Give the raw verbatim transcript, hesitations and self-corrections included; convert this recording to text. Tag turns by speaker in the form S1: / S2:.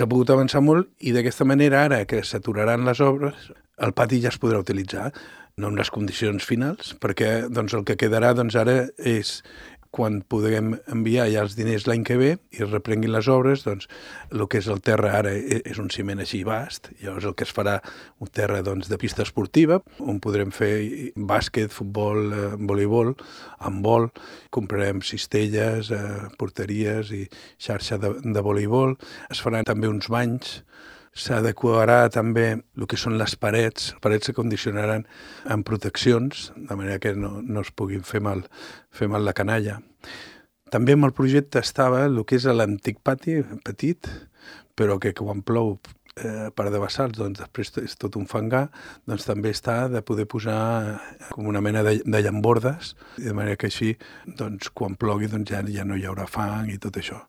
S1: s'ha pogut avançar molt i d'aquesta manera, ara que s'aturaran les obres, el pati ja es podrà utilitzar, no en les condicions finals, perquè doncs, el que quedarà doncs, ara és quan podrem enviar ja els diners l'any que ve i reprenguin les obres, doncs el que és el terra ara és un ciment així vast, llavors el que es farà un terra doncs, de pista esportiva, on podrem fer bàsquet, futbol, eh, voleibol, handbol, comprarem cistelles, eh, porteries i xarxa de, de voleibol, es faran també uns banys, s'adequarà també el que són les parets, les parets s'acondicionaran amb proteccions, de manera que no, no es puguin fer mal, fer mal la canalla. També amb el projecte estava el que és l'antic pati, petit, però que quan plou eh, per debassals, doncs després és tot un fangar, doncs també està de poder posar com una mena de, de llambordes, de manera que així, doncs, quan plogui, doncs ja, ja no hi haurà fang i tot això.